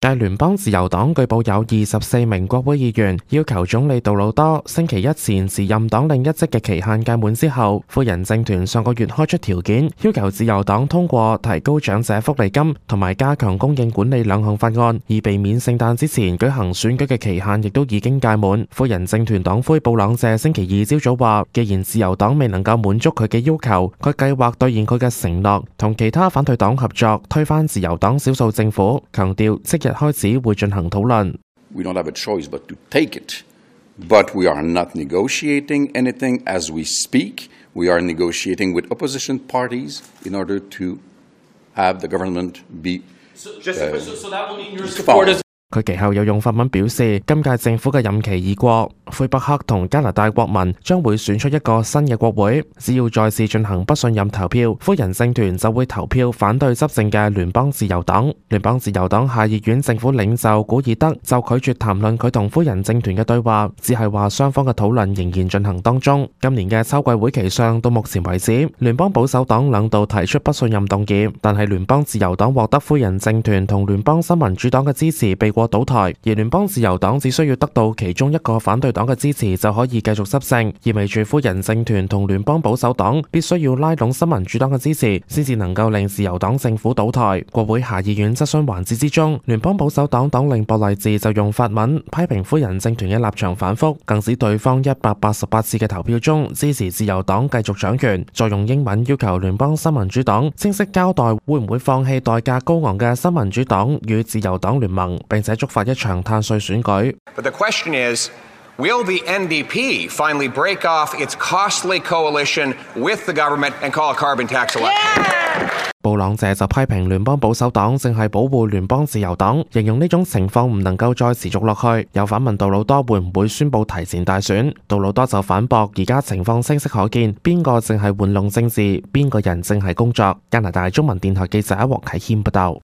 繼聯邦自由黨據報有24名國會議員要求總理杜魯多星期一前辭任黨領一職嘅期限屆滿之後，夫人政團上個月開出條件，要求自由黨通過提高長者福利金同埋加強供應管理兩項法案，以避免聖誕之前舉行選舉嘅期限亦都已經屆滿。夫人政團黨魁布朗謝星期二朝早話，既然自由黨未能夠滿足佢嘅要求，佢計劃兌現佢嘅承諾，同其他反對黨合作推翻自由黨少數政府，強調即日開始會進行討論。We don't have a choice but to take it, but we are not negotiating anything as we speak. We are negotiating with opposition parties in order to have the government be So that will mean your support is. 佢其後又用法文表示，今屆政府嘅任期已過，魁北克同加拿大國民將會選出一個新嘅國會，只要再次進行不信任投票，夫人政團就會投票反對執政嘅聯邦自由黨。聯邦自由黨下議院政府領袖古爾德就拒絕談論佢同夫人政團嘅對話，只係話雙方嘅討論仍然進行當中。今年嘅秋季會期上，到目前為止，聯邦保守黨兩度提出不信任動議，但係聯邦自由黨獲得夫人政團同聯邦新民主黨嘅支持，被倒台，而聯邦自由黨只需要得到其中一個反對黨嘅支持就可以繼續執政，意味住夫人政團同聯邦保守黨必須要拉攏新民主黨嘅支持，先至能夠令自由黨政府倒台。國會下議院質詢環節之中，聯邦保守黨黨領博勵治就用法文批評夫人政團嘅立場反覆，更指對方188次嘅投票中支持自由黨繼續掌權，再用英文要求聯邦新民主黨清晰交代會唔會放棄代價高昂嘅新民主黨與自由黨聯盟，並且觸發一場碳稅選舉。But the question is, will the NDP finally break off its costly coalition with the government and call a carbon tax election? 布朗謝就批評聯邦保守黨正係保護聯邦自由黨，形容呢種情況唔能夠再持續落去，又反問杜魯多會唔會宣布提前大選。杜魯多就反駁，而家情況清晰可見，邊個正係玩弄政治，邊個人正係工作。加拿大中文電台記者黃啟謙報道。